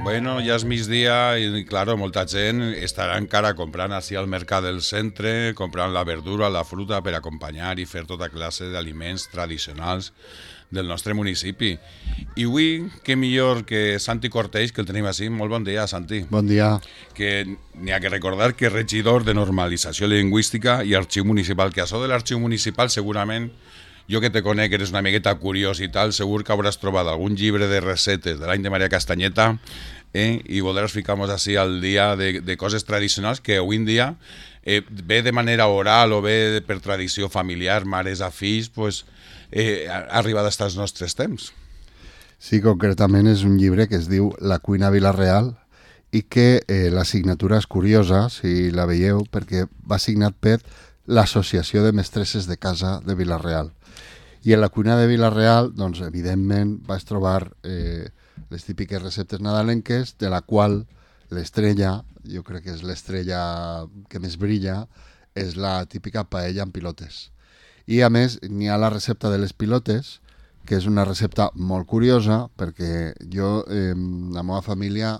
Bueno, ja és migdia i, claro, molta gent estarà encara comprant així al mercat del centre, comprant la verdura, la fruta per acompanyar i fer tota classe d'aliments tradicionals del nostre municipi. I avui, què millor que Santi Corteix, que el tenim així. Molt bon dia, Santi. Bon dia. Que n'hi ha que recordar que és regidor de Normalització Lingüística i Arxiu Municipal, que això de l'Arxiu Municipal segurament, jo que te conec, eres una miqueta curiós i tal, segur que hauràs trobat algun llibre de recetes de l'any de Maria Castanyeta i voldràs ficar-nos així al dia de coses tradicionals que avui en dia ve de manera oral o ve per tradició familiar, mares a fills, pues, ha arribat als nostres temps. Sí, concretament és un llibre que es diu La cuina Vila-real i que la signatura és curiosa, si la veieu, perquè va signat per l'Associació de Mestresses de Casa de Vila-real. I en la cuina de Vila-real, doncs, evidentment, vas trobar les típiques receptes nadalenques, de la qual l'estrella, jo crec que és l'estrella que més brilla, és la típica paella amb pilotes. I a més, n'hi ha la recepta de les pilotes, que és una recepta molt curiosa, perquè jo, la meva família,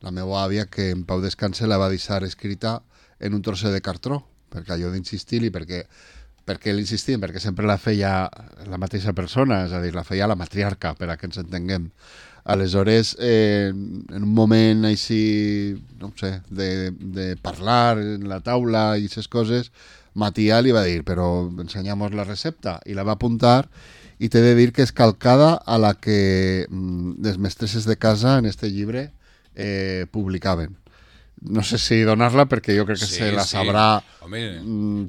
la meva àvia, que en pau descanse, la va deixar escrita en un trosset de cartró, perquè allò d'insistir-hi, perquè l'insistim? Perquè sempre la feia la mateixa persona, és a dir, la feia la matriarca, per a que ens entenguem. Aleshores, en un moment així, no sé, de parlar en la taula i aquestes coses, Matia li va dir, però ensenyamos la recepta, i la va apuntar, i t'he de dir que és calcada a la que les mestresses de casa en este llibre publicaven. No sé si donar-la perquè jo crec que se la sabrà. Home,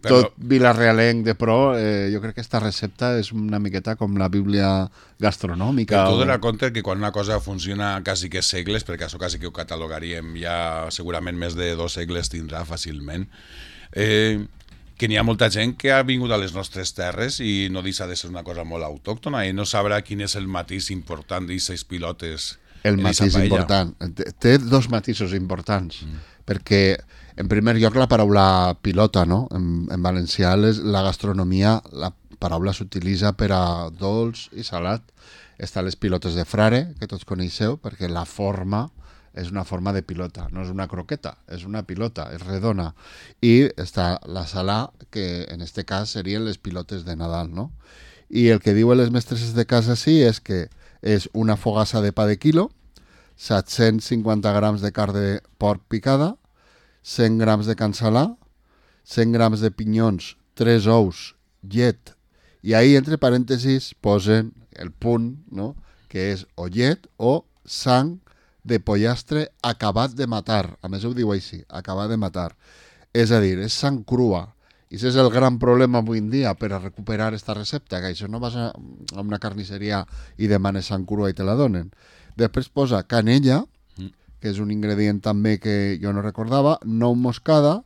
tot vilarealenc de pro. Jo crec que esta recepta és una miqueta com la bíblia gastronòmica. Però tu donar compte que quan una cosa funciona quasi que segles, perquè això quasi que ho catalogaríem ja segurament més de 2 segles tindrà fàcilment, que n'hi ha molta gent que ha vingut a les nostres terres i no deixa de ser una cosa molt autòctona i no sabrà quin és el matís important d'aquestes pilotes. El matís important. Té 2 matisos importants, perquè en primer lloc la paraula pilota, no? En valencià la gastronomia, la paraula s'utilitza per a dolç i salat. Està les pilotes de frare, que tots coneixeu, perquè la forma és una forma de pilota, no és una croqueta, és una pilota, és redona. I està la salà, que en este cas serien les pilotes de Nadal, no? I el que diuen les mestresses de casa sí és que és una fogassa de pa de quilo, 750 grams de carn de porc picada, 100 grams de cansalà, 100 grams de pinyons, 3 ous, llet, i ahí entre parèntesis posen el punt, no?, que és o llet o sang de pollastre acabat de matar. A més ho diu així, acabat de matar. És a dir, és sang crua. I això és el gran problema avui en dia per a recuperar esta recepta, que això no vas a una carnisseria i demanes sang crua i te la donen. Després posa canella, que és un ingredient també que jo no recordava, nou moscada,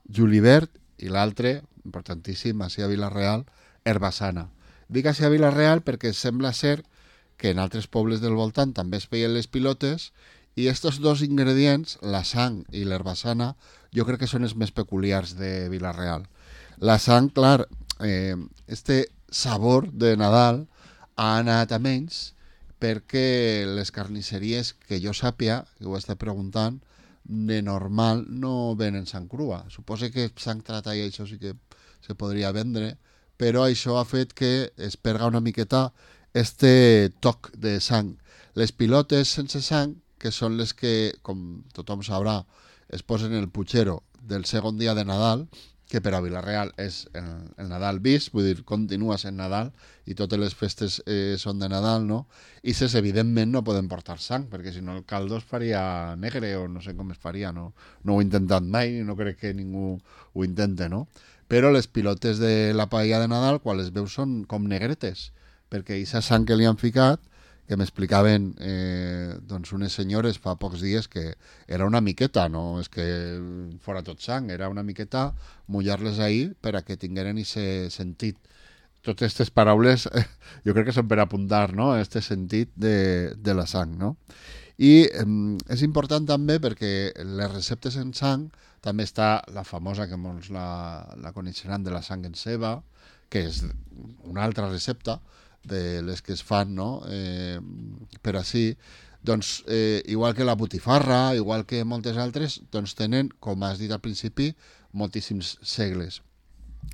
julivert i l'altre, importantíssim, així a Vila-real, herbassana. Dic així a Vila-real perquè sembla ser que en altres pobles del voltant també es feien les pilotes i estos 2 ingredients, la sang i l'herbassana, jo crec que són els més peculiars de Vila-real. La sang, clar, este sabor de Nadal ha anat a menys perquè les carnisseries, que jo sàpia, que ho està preguntant, de normal no venen sang crua. Suposo que sang trata i això sí que se podria vendre, però això ha fet que es perga una miqueta este toc de sang. Les pilotes sense sang, que són les que, com tothom sabrà, es posen en el putxero del segon dia de Nadal, que per a Vila-real és el Nadal vist, vull dir, continua sent Nadal i totes les festes són de Nadal, no? I ses, evidentment, no poden portar sang, perquè si no el caldo es faria negre o no sé com es faria, no ho he intentat mai i no crec que ningú ho intente, no? però les pilotes de la paella de Nadal, quan les veus, són com negretes, perquè aquesta sang que li han ficat, que m'explicaven doncs unes senyores fa pocs dies que era una miqueta, no és que fora tot sang, era una miqueta mullar-les ahir per a que tingueren aquest sentit. Totes aquestes paraules jo crec que són per apuntar, no?, aquest sentit de la sang, no? I és important també perquè les receptes en sang també està la famosa, que molts la coneixeran, de la sang en ceba, que és una altra recepta de les que es fan, no?, per així, doncs igual que la botifarra, igual que moltes altres, doncs tenen, com has dit al principi, moltíssims segles.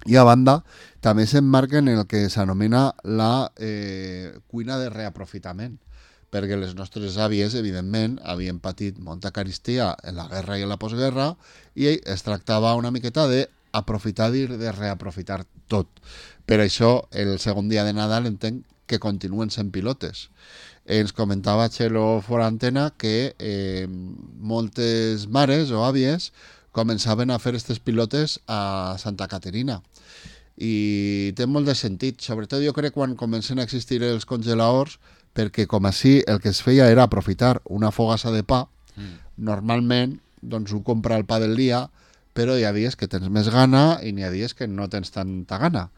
I a banda, també s'emmarquen en el que s'anomena la cuina de reaprofitament, perquè les nostres àvies, evidentment, havien patit molta carestia en la guerra i en la postguerra, i es tractava una miqueta d'aprofitar i de reaprofitar tot. Per això, el segon dia de Nadal entenc que continuen sent pilotes. Ens comentava Txelo fora antena que moltes mares o àvies començaven a fer aquestes pilotes a Santa Caterina. I té molt de sentit, sobretot jo crec quan comencen a existir els congeladors, perquè com així el que es feia era aprofitar una fogassa de pa, normalment doncs ho compra el pa del dia, però hi ha dies que tens més gana i n'hi ha dies que no tens tanta gana.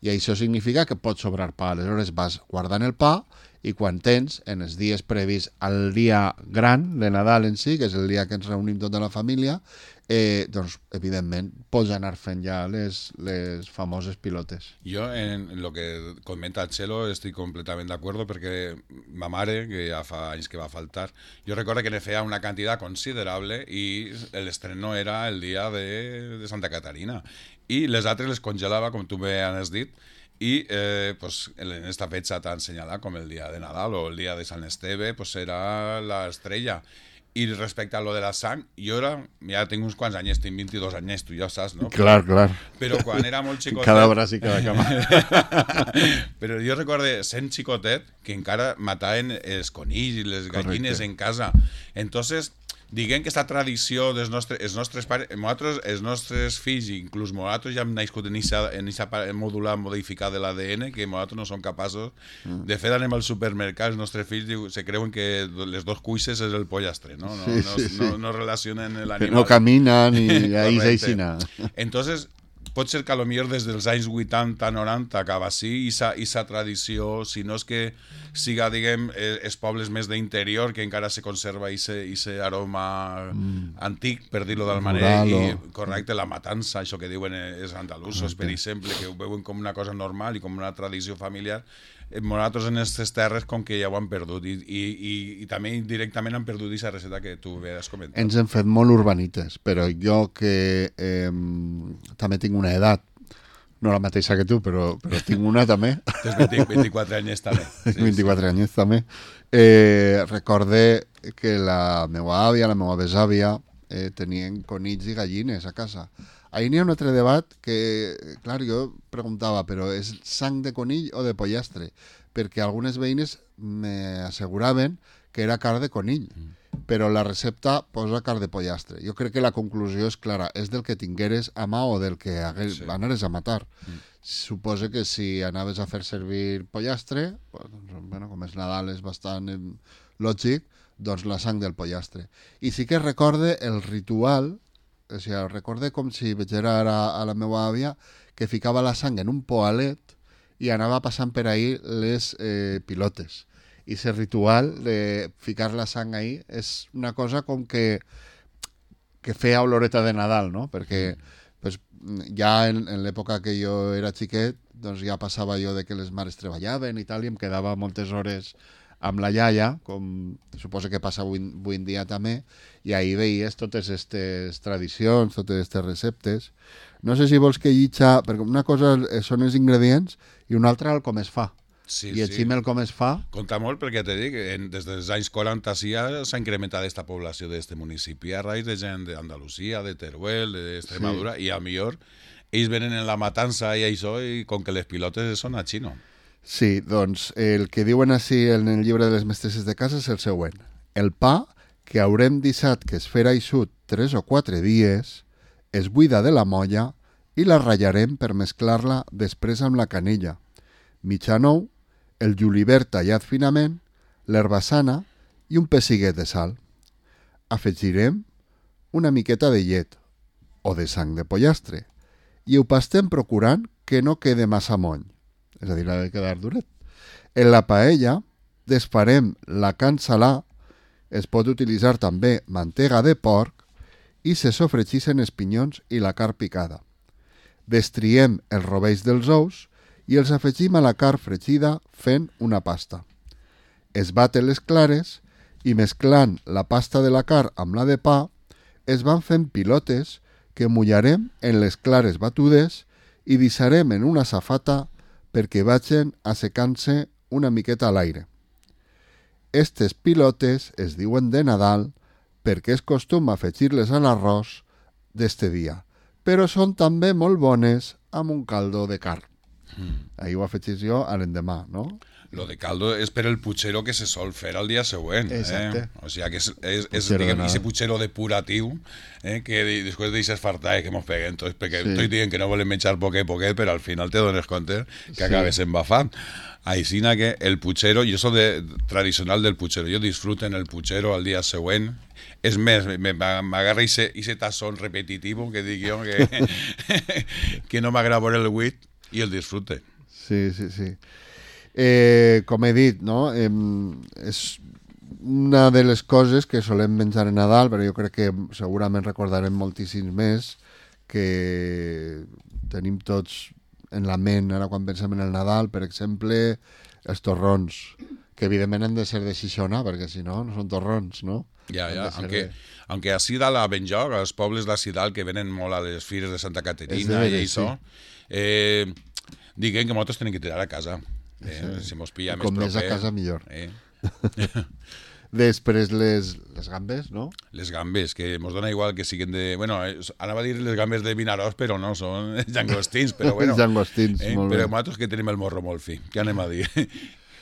I això significa que pot sobrar pa. Aleshores vas guardant el pa i quan tens, en els dies previs al dia gran de Nadal en si, que és el dia que ens reunim tota la família, doncs, evidentment, pots anar fent ja les famoses pilotes. Jo, en lo que comenta Txelo, estic completament d'acord, perquè ma mare, que ja fa anys que va faltar, jo recordo que ne feia una quantitat considerable i l'estreno era el dia de Santa Caterina. I les altres les congelava, com tu bé has dit, i pues, en esta fecha tan senyalada com el dia de Nadal o el dia de Sant Esteve, pues era la estrella. I respecte a lo de la sang, jo ja tinc uns quants anys, tinc 22 anys, tu ja saps, no? Clar. Però quan era molt xicotet... Cada braç i cada cama. Però jo recordo, sent xicotet, que encara mataven els conills i les gallines en casa. Entonces, diguem que aquesta tradició dels nostres pares, els nostres fills, inclús nosaltres ja hem nascut en aquesta mòdula modificada de l'ADN, que nosaltres no som capaços. De fet, anem al supermercat, els nostres fills se creuen que les dos cuisses és el pollastre, no? No relacionen l'animal. No caminen i ahí s'eixina. Entonces, pot ser que a lo millor des dels anys 80-90 acaba així, i sa tradició, si no és que siga, diguem, els pobles més d'interior, que encara se conserva aquest aroma antic, per dir-ho d'alguna manera, i correcte, la matança, això que diuen els andalusos, per exemple, que ho veuen com una cosa normal i com una tradició familiar. Nosaltres en aquestes terres com que ja ho han perdut i també indirectament han perdut aquesta receta que tu has comentat. Ens hem fet molt urbanites, però jo que també tinc una edat, no la mateixa que tu, però tinc una també. Tens 24 anys també. Sí, 24 anys també. Recorde que la meva àvia, la meva besàvia, tenien conills i gallines a casa. Ahir n'hi ha un altre debat que, clar, jo preguntava, però és sang de conill o de pollastre? Perquè algunes veïnes m'asseguraven que era carn de conill, però la recepta posa carn de pollastre. Jo crec que la conclusió és clara, és del que tingueres a mà o del que anaves a matar. Suposo que si anaves a fer servir pollastre, bueno, com és Nadal és bastant lògic, doncs la sang del pollastre. I sí que recorde el ritual. O sigui, recorde com si veig ara a la meva àvia que ficava la sang en un poalet i anava passant per ahir les pilotes. I aquest ritual de ficar la sang ahí és una cosa com que feia oloreta de Nadal, no? Perquè pues, ja en l'època que jo era xiquet doncs ja passava jo de que les mares treballaven i tal, i em quedava moltes hores amb la iaia, com suposo que passa avui en dia també, i ahir veies totes aquestes tradicions, totes aquestes receptes. No sé si vols que llitja, perquè una cosa són els ingredients i una altra el com es fa. Sí, I així el com es fa... Compta molt perquè te dic, des dels anys 40 sí s'ha incrementat aquesta població d'aquest municipi a raïs de gent d'Andalusia, de Teruel, d'Extremadura, i a millor ells venen en la matança i això, i com que les pilotes són a xino. Sí, doncs el que diuen així en el llibre de les mestresses de casa és el següent. El pa que haurem deixat que es fera eixut 3 o 4 dies es buida de la molla i la ratllarem per mesclar-la després amb la canella, mitjan ou, el julivert tallat finament, l'herbassana i un pessiguet de sal. Afegirem una miqueta de llet o de sang de pollastre i ho pastem procurant que no quede massa moll, és a dir, ha de quedar duret. En la paella desfarem la carn salà, es pot utilitzar també mantega de porc i se sofregeixen els pinyons i la carn picada. Destriem els rovells dels ous i els afegim a la carn fregida fent una pasta. Es baten les clares i mesclant la pasta de la carn amb la de pa es van fent pilotes que mullarem en les clares batudes i deixarem en una safata perquè vagin assecant-se una miqueta a l'aire. Estes pilotes es diuen de Nadal perquè és costum afegir-les a l'arròs d'este dia, però són també molt bones amb un caldo de carn. Ahir ho afegís jo a l'endemà, no? Lo de caldo és per el putxero que se sol fer al dia següent. Exacte. O sigui que és diguem, ese putxero depuratiu que després deixes fartar que mos peguen tots, perquè tots diuen que no volen menjar poquet, però al final te dones compte que acabes embafant. Aixina que el putxero, jo soc tradicional del putxero, jo disfruto en el putxero al dia següent. És més, m'agarra ese tassón repetitiu que dic jo que no m'agrada veure el buit i el disfrute. Sí. Com he dit, no? És una de les coses que solem menjar en Nadal, però jo crec que segurament recordarem moltíssims més que tenim tots en la ment ara quan pensem en el Nadal, per exemple, els torrons, que evidentment han de ser de Xixona, perquè si no, no són torrons, no? Ja, aunque a Sidal, a Benlloc, als pobles de Sidal, que venen molt a les fires de Santa Caterina i això, diguen que nosaltres tenim que tirar a casa. Si mos pilla més com proper. més a casa millor. Després les gambes, no? Les gambes, que mos dona igual que siguen de... Bueno, anava a dir les gambes de Vinaròs, però no, són llangostins, però bueno. Llangostins, molt bé. Però nosaltres que tenim el morro molt fi, què anem a dir?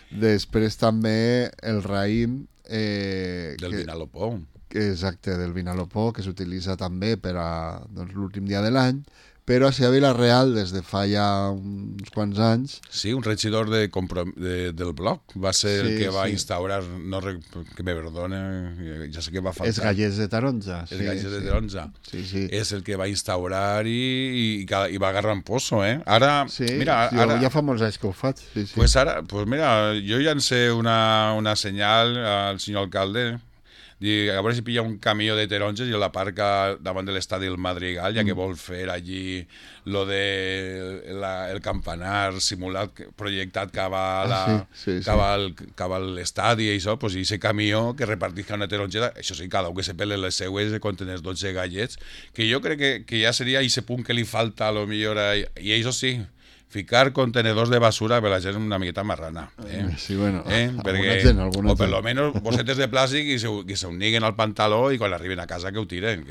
Després també el raïm... del Vinalopó. Exacte, del Vinalopó, que s'utilitza també per a l'últim dia de l'any, però a Vila-real des de fa ja uns quants anys... Sí, un regidor del bloc va ser el que va instaurar, que me perdone, ja sé que va faltar. Els gallets de taronja. Els gallets de taronja. Sí. És el que va instaurar i va agarrar en poso, Ara, mira... Jo ja fa molts anys que ho faig. Sí. Pues ara, mira, jo llancé una senyal al senyor alcalde, a veure si pilla un camió de taronges i l'aparca davant de l'estadi del Madrigal, ja que vol fer allí lo de el campanar simulat, projectat cap a l'estadi i això, pues, i ese camió que repartisca una taronjeta, això sí, cada un que se pele les seues conten els 12 gallets, que jo crec que ja seria ese punt que li falta a lo millor, i això sí, ficar contenedors de basura per la gent una miqueta marrana. Sí, bueno, perquè, o per lo menos bossetes de plàstic que se uniguen al pantaló i quan arriben a casa que ho tiren.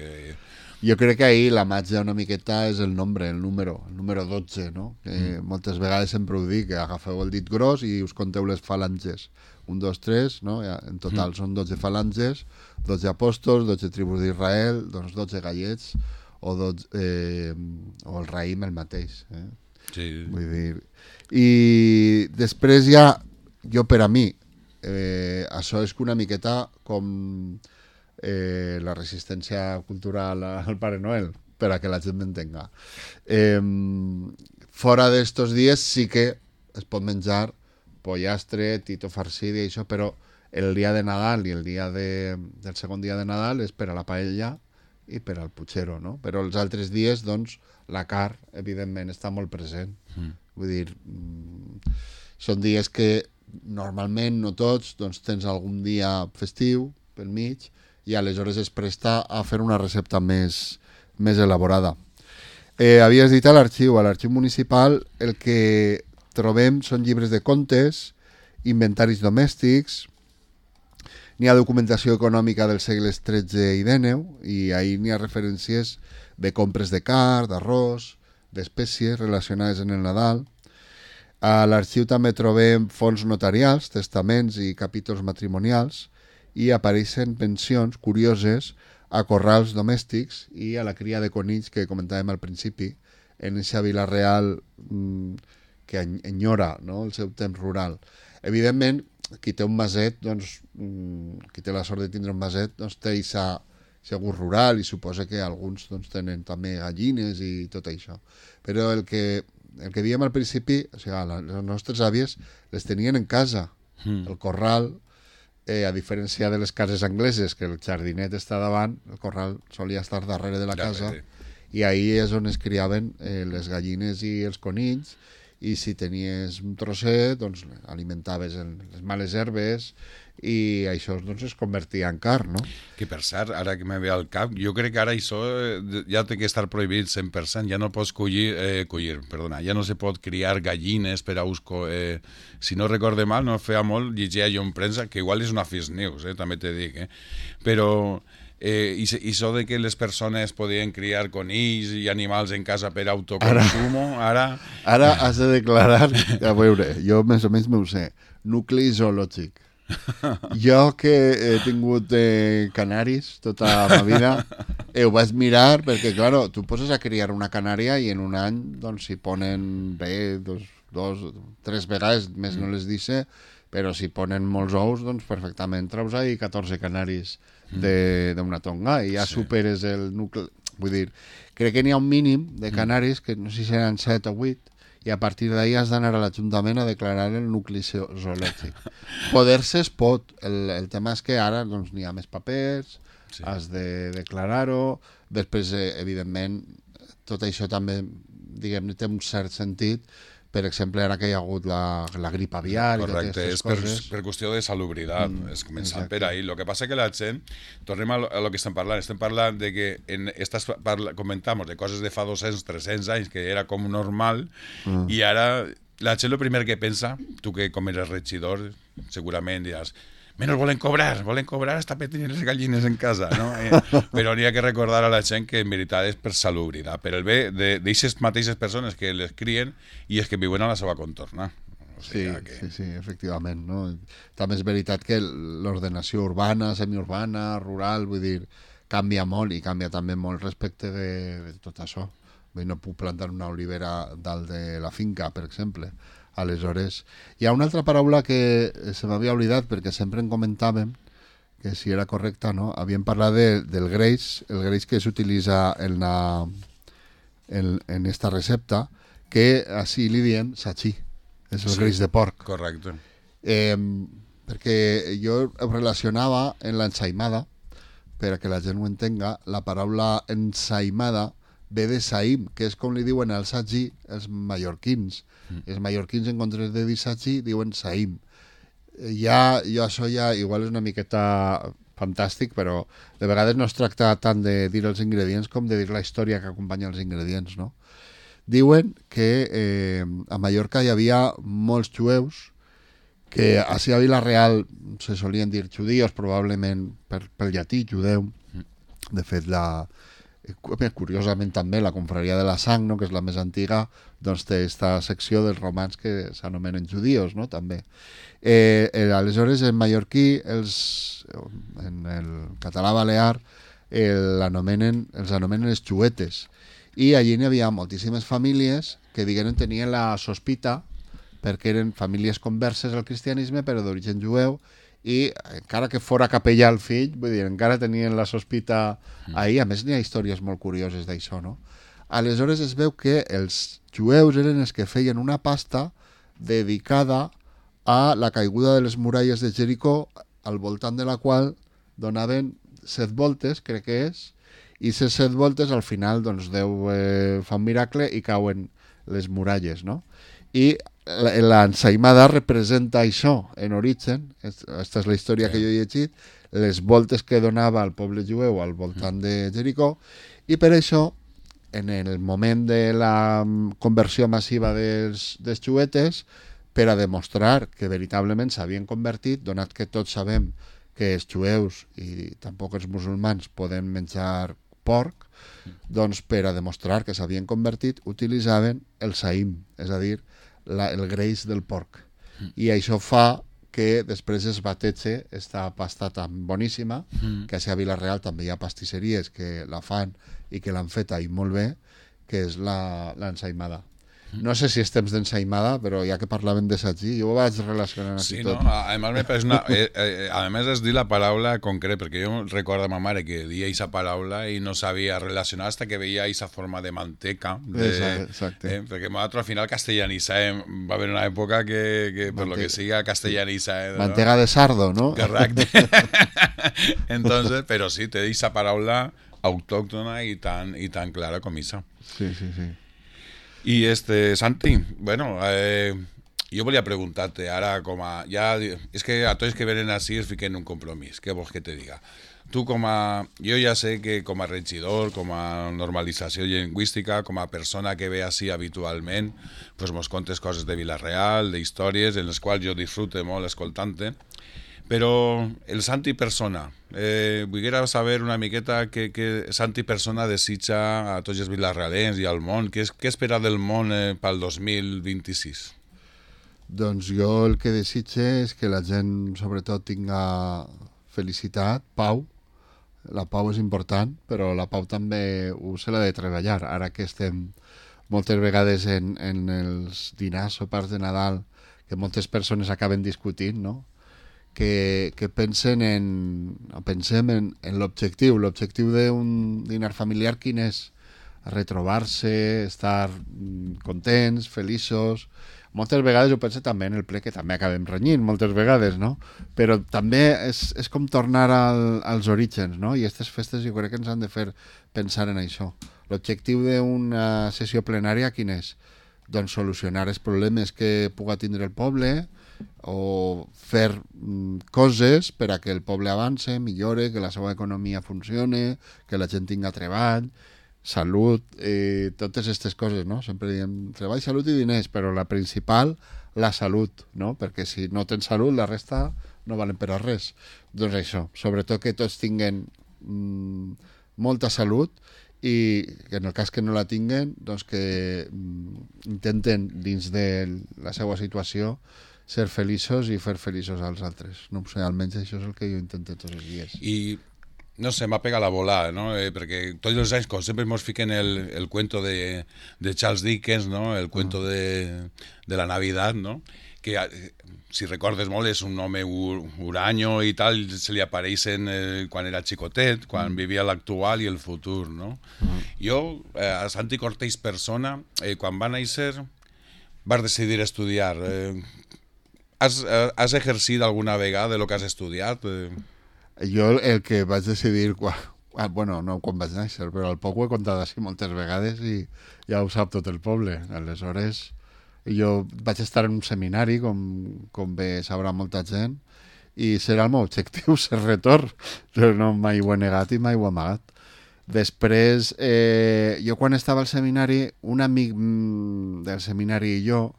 Jo crec que ahir la màgia una miqueta és el número 12, no? Que moltes vegades sempre ho dic, que agafeu el dit gros i us conteu les falanges. 1, 2, 3, no? En total són 12 falanges, 12 apòstols, 12 tribus d'Israel, doncs 12 gallets o el raïm el mateix, Sí. Vull dir... I després ja, jo per a mi, això és que una miqueta com la resistència cultural al Pare Noel, per a que la gent m'entenga. Fora d'estos dies sí que es pot menjar pollastre, tito farcit i això, però el dia de Nadal i el dia del segon dia de Nadal és per a la paella i per al putxero, no? Però els altres dies, doncs, la carn, evidentment, està molt present. Vull dir, són dies que normalment, no tots, doncs tens algun dia festiu pel mig i aleshores es presta a fer una recepta més elaborada. Havies dit a l'arxiu municipal el que trobem són llibres de contes, inventaris domèstics, n'hi ha documentació econòmica dels segles XIII i XIX i ahir n'hi ha referències de compres de carn, d'arròs, d'espècies relacionades en el Nadal. A l'arxiu també trobem fons notarials, testaments i capítols matrimonials i apareixen pensions curioses a corrals domèstics i a la cria de conills que comentàvem al principi en eixa Vila Real que enyora, no?, el seu temps rural. Evidentment, qui té un maset, doncs, qui té la sort de tindre un maset, doncs té aquest gust rural i suposa que alguns doncs, tenen també gallines i tot això. Però el que diem al principi, o sigui, les nostres àvies les tenien en casa. El corral, a diferència de les cases angleses, que el jardinet està davant, el corral solia estar darrere de la casa, i ahí és on es criaven les gallines i els conills, i si tenies un trosset, doncs alimentaves les males herbes i això doncs, es convertia en carn, no? Que per cert, ara que me ve al cap, jo crec que ara això ja té que estar prohibit 100%, ja no pots ja no se pot criar gallines per a ús... si no recorde mal, no feia molt, llegia jo en premsa, que igual és una fake news, també te dic, però... i això de que les persones podien criar conills i animals en casa per autoconsumo, ara... Ara has de declarar, a veure, jo més o menys m'ho sé, nucli zoològic. Jo que he tingut canaris tota la vida, ho vaig mirar perquè, claro, tu poses a criar una canària i en un any doncs si ponen bé, tres vegades, més no les dice, però si ponen molts ous, doncs perfectament treus ahí 14 canaris d'una tonga i ja superes el nucli. Vull dir, crec que n'hi ha un mínim de canaris, que no sé si seran 7 o 8, i a partir d'ahí has d'anar a l'Ajuntament a declarar el nucli zoològic. Poder-se es pot, el tema és que ara doncs, n'hi ha més papers, has de declarar-ho, després, evidentment, tot això també, diguem-ne, té un cert sentit. Per exemple, ara que hi ha hagut la grip aviar i totes aquestes coses... Per qüestió de salubritat, és començant per ahí. El que passa que la gent, tornem a lo que estem parlant de que comentamos de coses de fa 200, 300 anys, que era com normal, i ara la gent el primer que pensa, tu que com eres regidor, segurament diràs, menys volen cobrar hasta per tenir les gallines en casa, no? Però n'hi ha que recordar a la gent que en veritat és per salubritat, per el bé d'aquestes mateixes persones que les crien i és que viuen a la seva contorna. Sí, efectivament. No? També és veritat que l'ordenació urbana, semiurbana, rural, vull dir, canvia molt i canvia també molt respecte de tot això. Vull dir, no puc plantar una olivera dalt de la finca, per exemple. Aleshores, hi ha una altra paraula que se m'havia oblidat perquè sempre en comentàvem que si era correcta, no? Havíem parlat del greix, el greix que s'utilitza en esta recepta, que així li diem sachí, és el greix de porc. Correcte. Perquè jo ho relacionava en l'ensaïmada, per a que la gent ho entenga, la paraula ensaïmada ve de saïm, que és com li diuen al sagí els mallorquins. Els mallorquins, en comptes de dir sagí, diuen saïm. Això ja igual és una miqueta fantàstic, però de vegades no es tracta tant de dir els ingredients com de dir la història que acompanya els ingredients, no? Diuen que a Mallorca hi havia molts jueus que a Vila Real se solien dir judíos, probablement pel llatí, judeu. De fet, curiosament també la confraria de la sang, no?, que és la més antiga, doncs té aquesta secció dels romans que s'anomenen judíos, no?, també. Aleshores, en mallorquí, en el català balear, els anomenen els xuetes. I allí n'hi havia moltíssimes famílies que, diguem, tenien la sospita, perquè eren famílies converses al cristianisme, però d'origen jueu, i encara que fora capellà el fill, vull dir, encara tenien la sospita ahí. A més, n'hi ha històries molt curioses d'això, no? Aleshores es veu que els jueus eren els que feien una pasta dedicada a la caiguda de les muralles de Jericó, al voltant de la qual donaven 7 voltes, crec que és, i 7 voltes al final doncs Déu fa un miracle i cauen les muralles, no? I l'ensaïmada representa això en origen, aquesta és la història que jo he llegit, les voltes que donava el poble jueu al voltant de Jericó, i per això, en el moment de la conversió massiva dels xuetes, per a demostrar que veritablement s'havien convertit, donat que tots sabem que els jueus i tampoc els musulmans poden menjar porc, doncs per a demostrar que s'havien convertit utilitzaven el saïm, és a dir, el greix del porc. I això fa que després es batege esta pasta tan boníssima, que a Vila Real també hi ha pastisseries que la fan i que l'han feta i molt bé, que és l'ensaïmada. No sé si és temps d'ensaïmada, però ja que parlaven de sagí, jo ho vaig relacionant aquí Sí, tot. no? Además me parece una... además es dir la paraula concret, perquè jo recordo a ma mare que dia aquesta paraula i no sabia relacionar hasta que veia aquesta forma de manteca. Exacte. Perquè nosaltres al final castellanitzàvem, va haver una època que per lo que siga castellanitzàvem. Mantega de sardo, no? Correcte. Entonces, però sí, té aquesta paraula autòctona i tan clara com esa. Sí, sí, sí. I Santi, bueno, jo volia preguntar-te ara com a... Ja, és que a tots que venen així es fiquen un compromís, què vols que te diga? Tu com a... Jo ja sé que com a regidor, com a normalització lingüística, com a persona que ve així habitualment, pues mos contes coses de Vila-real, d'històries, en les quals jo disfrute molt escoltant-te, però el Santi persona, vull saber una miqueta què Santi persona desitja a tots els vilarrealens i al món, què espera del món pel 2026? Doncs jo el que desitge és que la gent sobretot tinga felicitat, pau. La pau és important, però la pau també se l'ha de treballar. Ara que estem moltes vegades en els dinars o parts de Nadal, que moltes persones acaben discutint, no? Que pensem en l'objectiu. L'objectiu d'un dinar familiar quin és? Retrobar-se, estar contents, feliços. Moltes vegades ho penso també en el ple, que també acabem renyint moltes vegades, no? Però també és com tornar als orígens, no? I aquestes festes jo crec que ens han de fer pensar en això. L'objectiu d'una sessió plenària quin és? Doncs solucionar els problemes que puga tindre el poble, o fer coses per a que el poble avance, millore, que la seva economia funcione, que la gent tinga treball, salut, totes aquestes coses, no? Sempre diem treball, salut i diners, però la principal, la salut, no? Perquè si no tens salut, la resta no valen per a res. Doncs això, sobretot que tots tinguen molta salut i que en el cas que no la tinguen, doncs que intenten dins de la seva situació ser feliços i fer feliços als altres. No sé, almenys això és el que jo intento tots els dies. I, no sé, m'ha pegat la volada, no? Perquè tots els anys, com sempre ens fiquen el cuento de Charles Dickens, no? El cuento de la Navidad, no? Que, si recordes molt, és un home huraño i tal, se li apareixen quan era xicotet, quan vivia l'actual i el futur, no? Jo, a Santi Cortés persona, quan va néixer, vas decidir estudiar. Has exercit alguna vegada el que has estudiat? Jo el que vaig decidir, bueno, no quan vaig néixer, però al poc ho he contat així moltes vegades i ja ho sap tot el poble. Aleshores, jo vaig estar en un seminari, com bé sabrà molta gent, i serà el meu objectiu, ser retor. Però no mai ho he negat i mai ho he amagat. Després, jo quan estava al seminari, un amic del seminari i jo,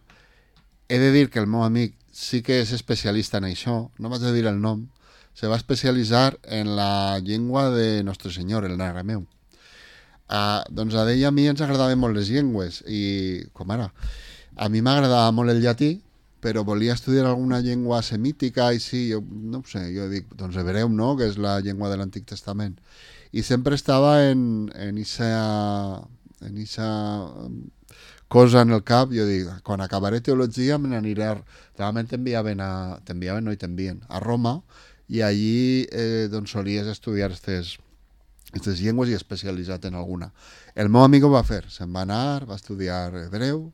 he de dir que el meu amic sí que és especialista en això, no vaig a dir el nom, se va especialitzar en la llengua de Nostre Senyor, el arameu. Doncs a ell i a mi ens agradaven molt les llengües, i com ara, a mi m'agradava molt el llatí, però volia estudiar alguna llengua semítica, i sí, jo no ho sé, jo dic, doncs hebreu, no?, que és la llengua de l'Antic Testament. I sempre estava en esa cosa en el cap, jo dic, quan acabaré teologia me n'aniré, realment t'envien a Roma, i allí doncs solies estudiar aquestes llengües i especialitzat en alguna. El meu amic ho va fer, se'n va anar, va estudiar hebreu,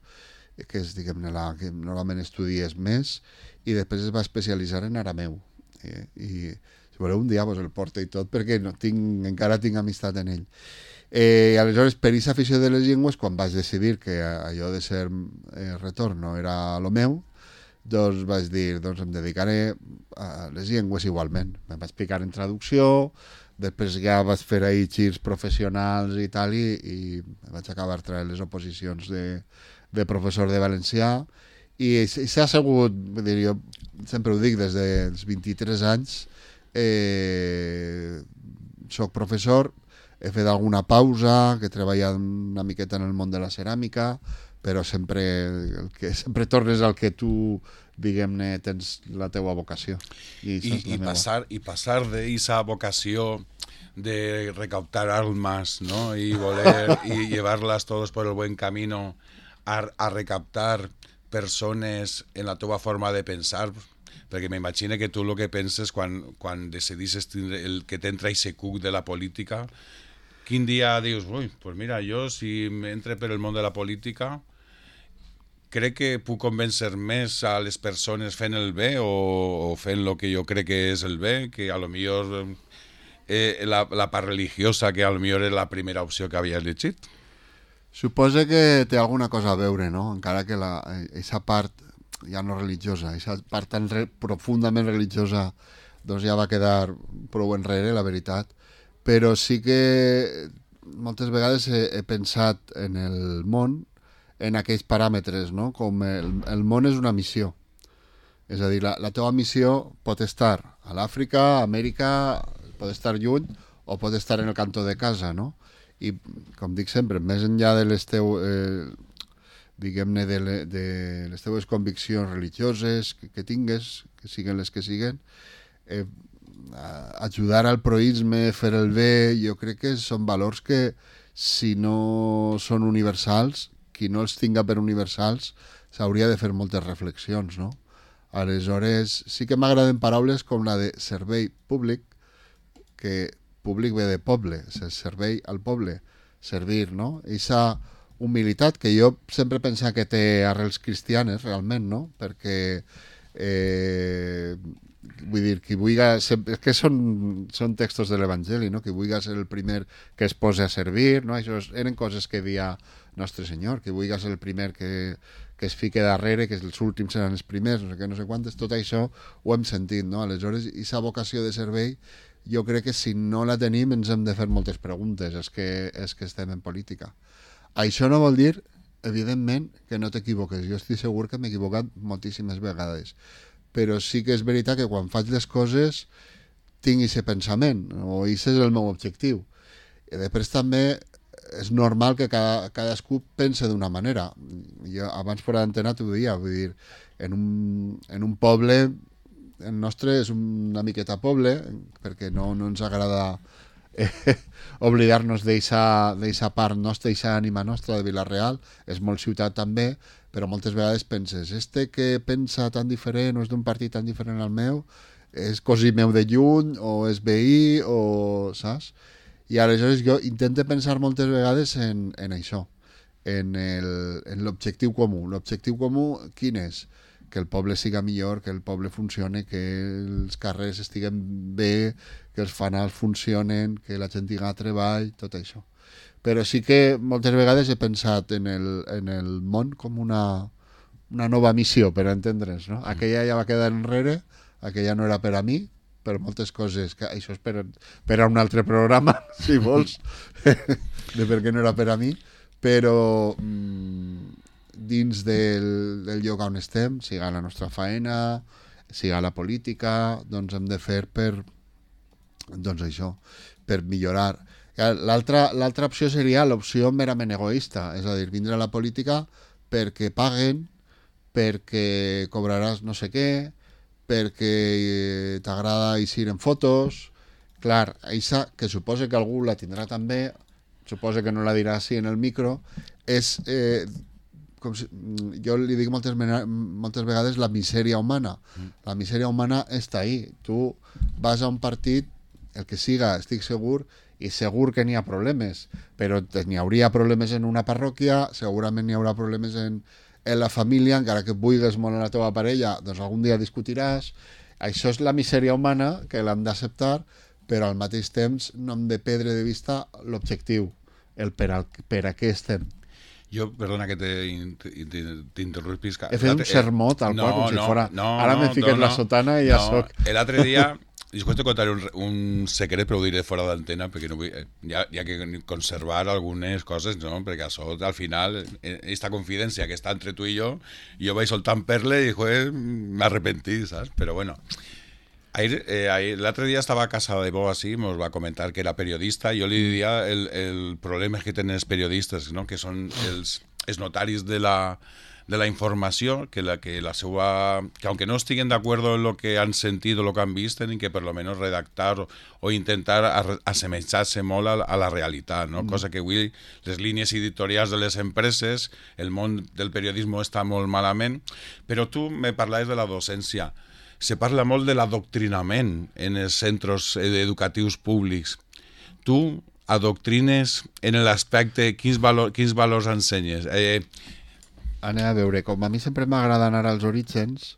que és, diguem-ne, la que normalment estudies més, i després es va especialitzar en arameu. I si voleu un dia vos el porto i tot, perquè encara tinc amistat en ell. Aleshores, per aquesta afició de les llengües, quan vaig decidir que allò de ser retor no era el meu, doncs vaig dir, doncs em dedicaré a les llengües igualment. Em vaig picar en traducció, després ja vaig fer ahir girs professionals i tal, i vaig acabar traient les oposicions de professor de valencià, i s'ha assegut, jo sempre ho dic, des dels 23 anys soc professor. He fet alguna pausa, que he treballat una miqueta en el món de la ceràmica, però sempre tornes al que tu, diguem-ne, tens la teua vocació. I passar d'esa vocació de recautar almas, ¿no? Y voler y llevarlas todos por el buen camino a recaptar persones en la teva forma de pensar, perquè m'imagino que tu el que penses quan decidisses el que t'entra i cuc de la política, quin dia dius, ui, pues mira, jo si m'entre per el món de la política crec que puc convèncer més a les persones fent el bé o fent el que jo crec que és el bé, que a lo millor la part religiosa, que a lo millor és la primera opció que havia llegit. Suposa que té alguna cosa a veure, no? Encara que aquesta part ja no religiosa, aquesta part tan profundament religiosa doncs ja va quedar prou enrere, la veritat. Però sí que moltes vegades he pensat en el món en aquells paràmetres, no? Com el món és una missió. És a dir, la teva missió pot estar a l'Àfrica, a Amèrica, pot estar lluny o pot estar en el cantó de casa, no? I, com dic sempre, més enllà de les diguem-ne, de les teves conviccions religioses que tingues, que siguen les que siguen, ajudar al proïsme, fer el bé, jo crec que són valors que, si no són universals, qui no els tinga per universals, s'hauria de fer moltes reflexions, no? Aleshores, sí que m'agraden paraules com la de servei públic, que públic ve de poble, servei al poble, servir, no? Eixa humilitat que jo sempre penso que té arrels cristianes, realment, no? Perquè, vull dir, qui vulgui... És que són textos de l'Evangeli, no? Qui vulgui ser el primer que es posa a servir, no? Això eren coses que dia Nostre Senyor, qui vulgui ser el primer que es fique darrere, que els últims seran els primers, no sé quantes, tot això ho hem sentit, no? Aleshores, aquesta vocació de servei, jo crec que si no la tenim ens hem de fer moltes preguntes, és que estem en política. Això no vol dir, evidentment, que no t'equivoques. Jo estic segur que m'he equivocat moltíssimes vegades, però sí que és veritat que quan faig les coses tinc aquest pensament, o aquest és el meu objectiu. I després també és normal que cadascú pense d'una manera. Jo abans fora d'antena t'ho dia, vull dir, en un poble, el nostre és una miqueta poble, perquè no ens agrada oblidar-nos d'eixa part nostra, d'eixa ànima nostra de Vila-real, és molt ciutat també, però moltes vegades penses, que pensa tan diferent o és d'un partit tan diferent al meu, és cosí meu de lluny o és veí o saps? I aleshores jo intento pensar moltes vegades en això, en l'objectiu comú. L'objectiu comú quin és? Que el poble siga millor, que el poble funcione, que els carrers estiguen bé, que els fanals funcionen, que la gent tinga treball, tot això. Però sí que moltes vegades he pensat en el món com una nova missió, per entendre's, no? Aquella ja va quedar enrere, aquella no era per a mi, per moltes coses, que això és per a un altre programa, si vols, de per què no era per a mi, però dins del lloc on estem, siga la nostra faena, siga la política, doncs hem de fer doncs això, per millorar. L'altra opció seria l'opció merament egoista, és a dir, vindre a la política perquè paguen, perquè cobraràs no sé què, perquè t'agrada eixir en fotos. Clar, eixa, que suposa que algú la tindrà també, suposa que no la dirà així en el micro, és, com si, jo li dic moltes vegades, la misèria humana. La misèria humana està ahí. Tu vas a un partit, el que siga, estic segur, i segur que n'hi ha problemes, però n'hi hauria problemes en una parròquia, segurament n'hi haurà problemes en la família, encara que vulguis molt en la teva parella, doncs algun dia discutiràs. Això és la misèria humana, que l'hem d'acceptar, però al mateix temps no hem de perdre de vista l'objectiu, el per a què estem. Jo, perdona que t'interrompis. He fet un sermó tal qual, com si fora... Ara m'he ficat la sotana i ja soc... L'altre dia... Després te contaré un secret, però ho diré fora d'antena, perquè no vull, ja que conservar algunes coses, no? Perquè això, al final, esta confidència que està entre tu i jo vaig soltant perle i, m'arrepentí, saps? Però bueno, l'altre dia estava a casa de Bo, así, nos va comentar que era periodista, i jo li diria el problema que tenen els periodistes, no? Que són els els notaris de la informació, que aunque no estiguen de acuerdo en lo que han sentido, lo que han visto, tienen que por lo menos redactar o intentar assemellar-se molt a la realitat, no? Cosa que avui les línies editorials de les empreses, el món del periodisme està molt malament, però tu me parlaves de la docència. Se parla molt de l'adoctrinament en els centres educatius públics. Tu adoctrines en l'aspecte, quins valors ensenyes? Anem a veure, com a mi sempre m'agrada anar als orígens,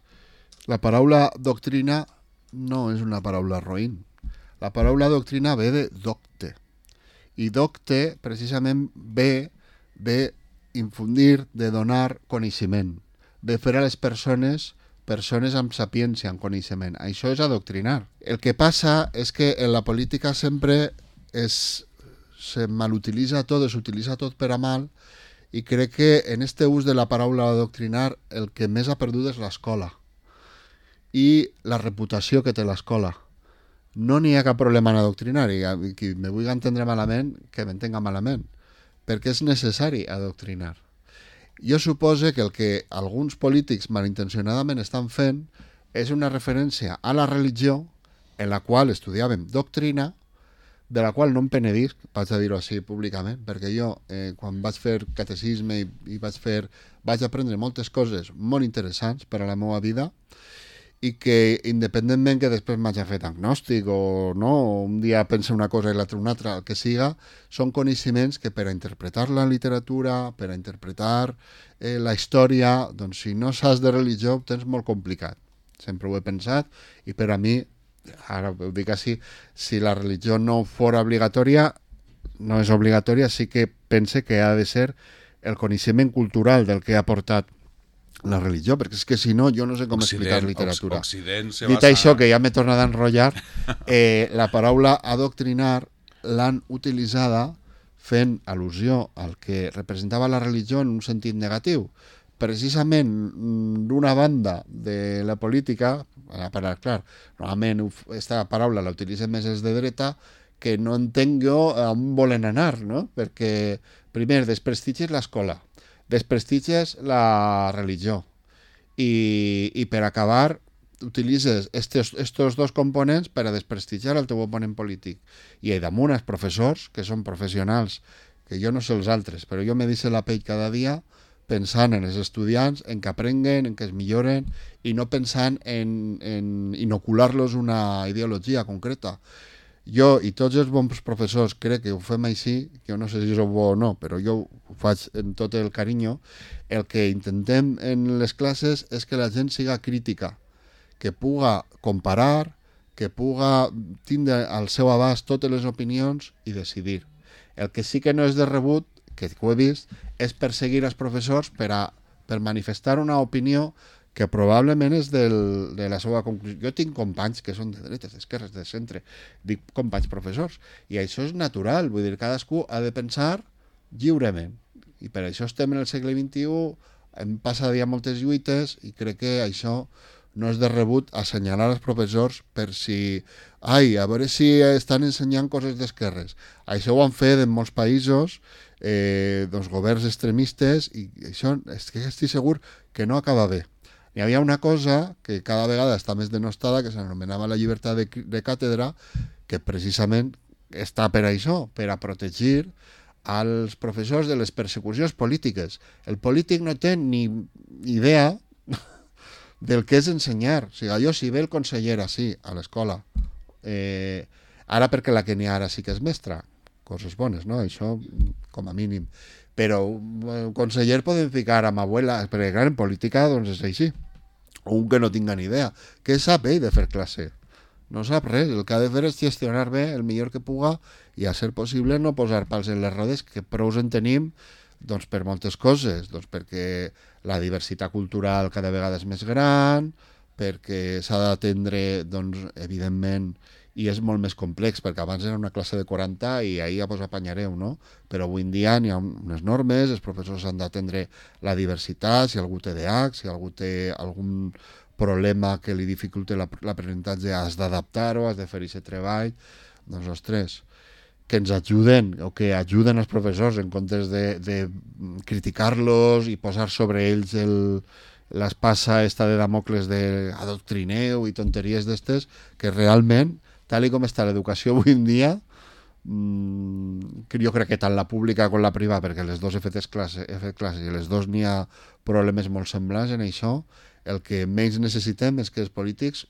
la paraula doctrina no és una paraula roïn. La paraula doctrina ve de docte. I docte, precisament, ve d'infundir, de donar coneixement, de fer a les persones amb sapiència, amb coneixement. Això és adoctrinar. El que passa és que en la política sempre se malutilitza tot, s'utilitza tot per a mal, i crec que en este ús de la paraula adoctrinar el que més ha perdut és l'escola i la reputació que té l'escola. No n'hi ha cap problema en adoctrinar, i qui me vulgui entendre malament, que m'entenga malament, perquè és necessari adoctrinar. Jo supose que el que alguns polítics malintencionadament estan fent és una referència a la religió en la qual estudiàvem doctrina, de la qual no em penedisc, vaig a dir-ho així públicament, perquè jo, quan vaig fer catecisme i vaig aprendre moltes coses molt interessants per a la meva vida, i que independentment que després m'hagi fet agnòstic o no, o un dia pensa una cosa i l'altra una altra, el que siga, són coneixements que per a interpretar la literatura, per a interpretar la història, doncs si no saps de religió ho tens molt complicat. Sempre ho he pensat, i per a mi, ara ho dic així, si la religió no fora obligatòria, no és obligatòria, sí que pense que ha de ser el coneixement cultural del que ha portat la religió, perquè és que si no jo no sé com explicar literatura. Dit això, que ja m'he tornat a enrotllar, la paraula adoctrinar l'han utilitzada fent al·lusió al que representava la religió en un sentit negatiu. Precisament d'una banda de la política, clar, normalment aquesta paraula la utilitzen més els de dreta, que no entenc jo on volen anar, no? Perquè, primer, desprestigies l'escola, desprestigies la religió i per acabar utilitzes estos dos components per a desprestigiar el teu oponent polític. I damunt els professors, que són professionals, que jo no sé els altres, però jo me deixo la pell cada dia pensant en els estudiants, en que aprenguen, en que es milloren, i no pensant en inocular-los una ideologia concreta. Jo i tots els bons professors crec que ho fem així, jo no sé si és bo o no, però jo ho faig amb tot el carinyo. El que intentem en les classes és que la gent siga crítica, que puga comparar, que puga tindre al seu abast totes les opinions i decidir. El que sí que no és de rebut, que ho he vist, és perseguir els professors per manifestar una opinió que probablement és de la seva conclusió. Jo tinc companys que són de dretes, d'esquerres, de centre, dic companys professors, i això és natural, vull dir, cadascú ha de pensar lliurement, i per això estem en el segle XXI, hem passat ja moltes lluites, i crec que això no és de rebut assenyalar els professors per si, a veure si estan ensenyant coses d'esquerres. Això ho han fet en molts països, governs extremistes, i això és que estic segur que no acaba bé. Hi havia una cosa que cada vegada està més denostada, que s'anomenava la llibertat de càtedra, que precisament està per això, per a protegir als professors de les persecucions polítiques. El polític no té ni idea del que és ensenyar. O sigui, jo si ve el conseller així a l'escola, ara perquè la que n'hi ha ara sí que és mestra, coses bones, no? Això com a mínim. Però un conseller podem ficar amb abuela, perquè clar, en política doncs és així. O un que no tinga ni idea. Què sap ell de fer classe? No sap res. El que ha de fer és gestionar bé el millor que puga i, a ser possible, no posar pals en les rodes, que prou en tenim doncs, per moltes coses. Doncs perquè la diversitat cultural cada vegada és més gran, perquè s'ha d'atendre, doncs, evidentment, i és molt més complex, perquè abans era una classe de 40 i ahir ja vos apanyareu, no? Però avui en dia n'hi ha unes normes, els professors han d'atendre la diversitat, si algú té TDAH, si algú té algun problema que li dificulta l'aprenentatge, has d'adaptar-ho, has de fer aquest treball. Doncs, ostres, que ens ajuden o que ajuden els professors en comptes de criticar-los i posar sobre ells l'espasa esta de Damocles de adoctrineu i tonteries d'estes, que realment, tal i com està l'educació avui en dia, jo crec que tant la pública com la privada, perquè les dues he fet classes i les dues n'hi ha problemes molt semblants en això, el que menys necessitem és que els polítics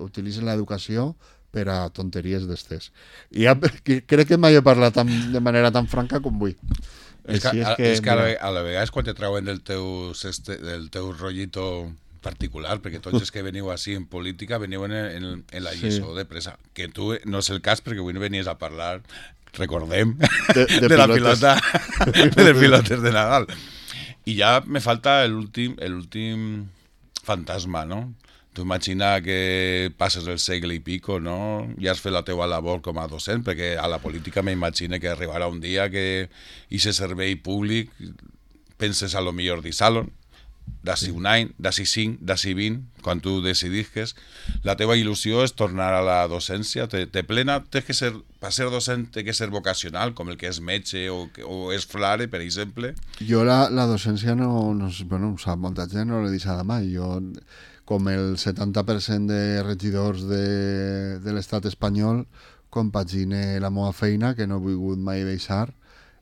utilitzen l'educació per a tonteries d'estes. I ja, crec que mai he parlat de manera tan franca com vull. És que a la vegada és quan te trauen del teu rotllito particular, perquè tots els que veniu així en política veniu en la lliçó de pressa, que tu no és el cas perquè avui no venies a parlar, recordem, de la pilota de pilotes de Nadal. I ja me falta l'últim fantasma, no? Tu imagina que passes el segle i pico, no? Ja has fet la teua labor com a docent, perquè a la política m'imagino que arribarà un dia que aquest servei públic penses a lo millor deixar-lo, d'ací un any, d'ací 5, d'ací 20, quan tu decidisques. La teva il·lusió és tornar a la docència, te plena, per ser docent té que ser vocacional, com el que és metge o és flare, per exemple. Jo la docència no bueno, ho sap molta gent, no l'he deixada mai. Jo, com el 70% de regidors de l'estat espanyol, compagine la meva feina, que no he volgut mai deixar,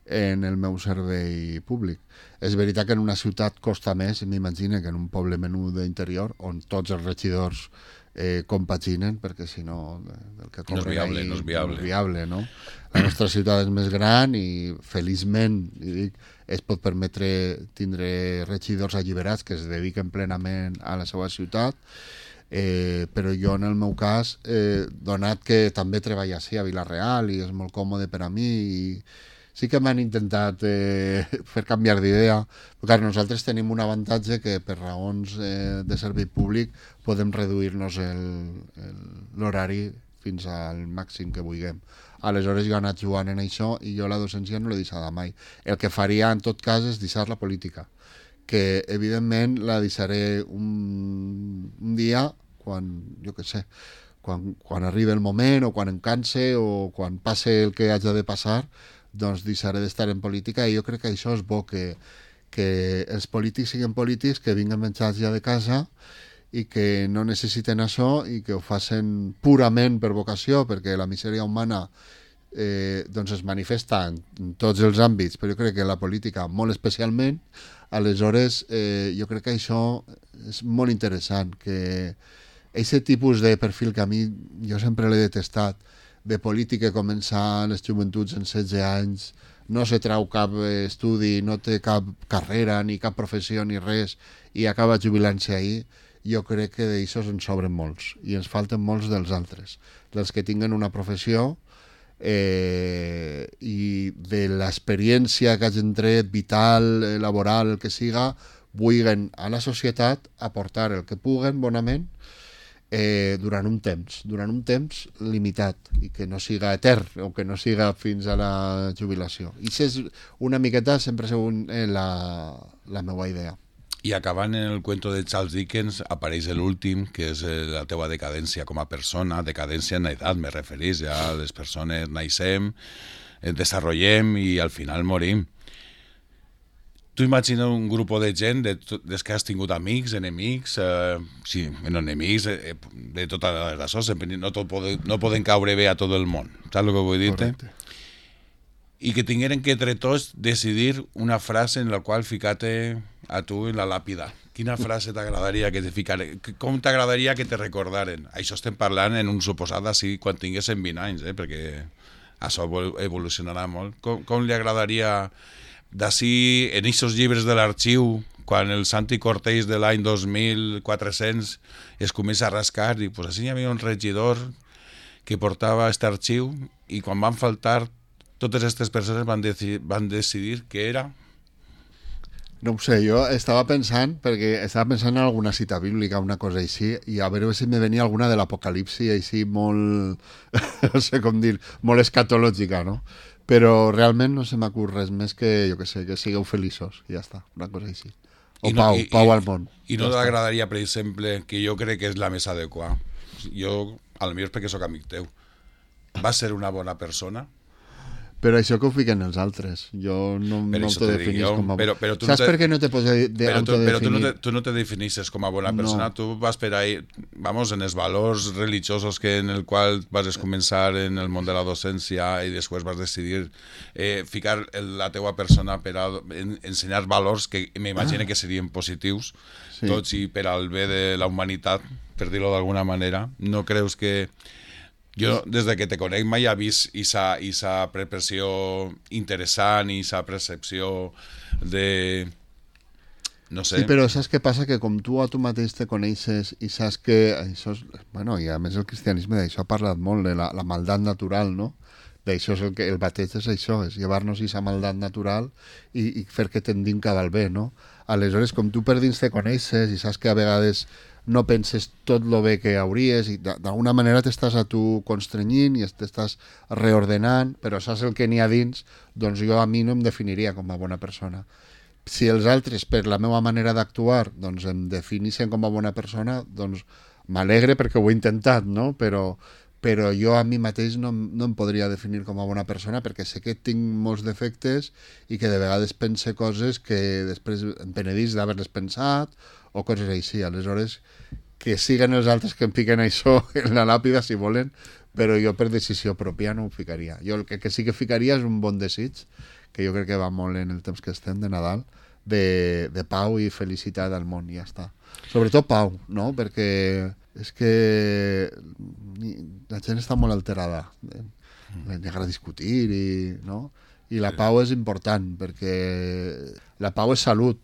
en el meu servei públic. És veritat que en una ciutat costa més, m'imagino, que en un poble menú d'interior, on tots els regidors compaginen, perquè si no el que cobren no és viable, no? La nostra ciutat és més gran i feliçment es pot permetre tindre regidors alliberats que es dediquen plenament a la seva ciutat, però jo en el meu cas, donat que també treballo així a Vila-real i és molt còmode per a mi, i sí que m'han intentat fer canviar d'idea, perquè nosaltres tenim un avantatge que per raons de servei públic podem reduir-nos l'horari fins al màxim que vulguem. Aleshores jo he anat jugant en això i jo la docència no l'he deixada mai. El que faria en tot cas és deixar la política, que evidentment la deixaré un dia quan, jo què sé, quan arribi el moment o quan em canse o quan passe el que hagi de passar, doncs deixaré d'estar en política, i jo crec que això és bo, que els polítics siguin polítics, que vinguen menjats ja de casa i que no necessiten això i que ho facin purament per vocació, perquè la misèria humana doncs es manifesta en tots els àmbits, però jo crec que la política molt especialment. Aleshores jo crec que això és molt interessant, que aquest tipus de perfil que a mi jo sempre l'he detestat, de polític que comença a les joventuts en 16 anys, no se trau cap estudi, no té cap carrera, ni cap professió, ni res, i acaba jubilant-se ahir, jo crec que d'aixòs ens sobren molts, i ens falten molts dels altres, dels que tinguen una professió i de l'experiència que hagin tret, vital, laboral, el que siga, vulguin a la societat aportar el que puguen bonament, durant un temps limitat, i que no siga etern o que no siga fins a la jubilació. I això és una miqueta sempre segons la meva idea. I acabant en el cuento de Charles Dickens apareix l'últim, que és la teua decadència com a persona, decadència en edat, me referís, ja les persones naixem, desarrollem i al final morim. Tu imagina un grup de gent des que has tingut amics, enemics, sí, enemics de totes les coses, no poden caure bé a tot el món, saps el que vull dir-te? I que tingueren que entre tots decidir una frase en la qual ficar-te a tu en la làpida. Quina frase t'agradaria que te ficaren? Com t'agradaria que te recordaren? Això estem parlant en un suposat així quan tinguessin 20 anys, perquè això evolucionarà molt. Com li agradaria d'ací, en aquests llibres de l'arxiu, quan el Santi Cortés de l'any 2400 es comença a rascar, i pues així hi havia un regidor que portava aquest arxiu, i quan van faltar totes aquestes persones van decidir què era. No ho sé, jo estava pensant en alguna cita bíblica, una cosa així, i a veure si me venia alguna de l'Apocalipsi així molt, no sé com dir, molt escatològica, no? Però realment no se m'acut res més que, jo què sé, que sigueu feliços, i ja està, una cosa així. O pau al món. I no t'agradaria, per exemple, que jo crec que és la més adequada, jo, potser perquè sóc amic teu, vas ser una bona persona? Però això que ho fiquen els altres. Jo no Per això te dic m'autodefinís jo, com a... però tu Saps no te- per què no te pots Però autodefinir? tu no te definisses com a bona persona, No. tu vas per ahí, vamos, en els valors religiosos que en el qual vas començar en el món de la docència i després vas decidir ficar la teua persona per a ensenyar valors que m'imagino que serien positius, Sí. tots i per al bé de la humanitat, per dir-ho d'alguna manera. No creus que... Jo, des de que te conec, mai he vist esa percepció interessant i esa percepció de... No sé. Sí, però saps què passa? Que com tu a tu mateix te coneixes i saps que això és... Bueno, i a més el cristianisme d'això ha parlat molt, de la maldat natural, no? D'això és el bateig és això, és llevar-nos aquesta maldat natural i fer que tendim cap al bé, no? Aleshores, com tu per dins te coneixes i saps que a vegades no penses tot lo bé que hauries i d'alguna manera t'estàs a tu constrenyint i t'estàs reordenant, però saps el que n'hi ha dins, doncs jo a mi no em definiria com a bona persona. Si els altres, per la meva manera d'actuar, doncs em definissin com a bona persona, doncs m'alegre perquè ho he intentat, no? Però jo a mi mateix no em podria definir com a bona persona perquè sé que tinc molts defectes i que de vegades pense coses que després em penedís d'haver-les pensat o coses així. Aleshores, que siguen els altres que em fiquen això en la làpida si volen, però jo per decisió pròpia no ho ficaria. Jo el que sí que ficaria és un bon desig, que jo crec que va molt en el temps que estem de Nadal, de pau i felicitat al món, i ja està. Sobretot pau, no? Perquè és que la gent està molt alterada. Li agrada discutir i, no? I la pau és important perquè la pau és salut.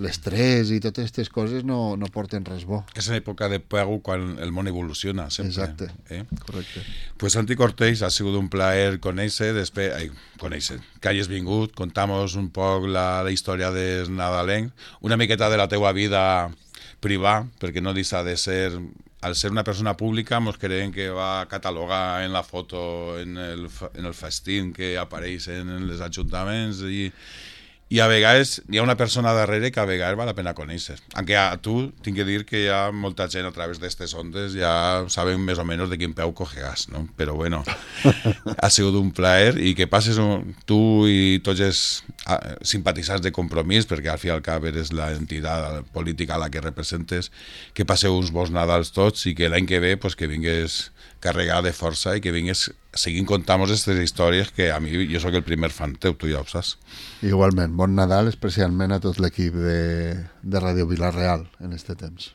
L'estrès i totes aquestes coses no porten res bo. És en època de pau quan el món evoluciona, sempre. Exacte, correcte. Pues Santi Cortés, ha sigut un plaer conèixer, que hagis vingut, contamos un poc la història del nadalenc, una miqueta de la teua vida privada, perquè no deixa de ser... Al ser una persona pública, ens creiem que va catalogar en la foto, en el festín que apareix en els ajuntaments i a vegades hi ha una persona darrere que a vegades val la pena conèixer. Aunque a tu tinc que dir que hi ha molta gent a través d'aquestes ondes ja saben més o menys de quin peu cogeràs, no? Però bueno, ha sigut un plaer i que passes tu i tots els simpatitzants de Compromís, perquè al fi i al cap eres l'entitat política a la que representes, que passeu uns bons Nadals tots i que l'any que ve pues, que vingués carregat de força i que vingués seguint contant-nos aquestes històries que a mi, jo sóc el primer fan teu, tu ja ho saps. Igualment, bon Nadal especialment a tot l'equip de Ràdio Vila-real en este temps.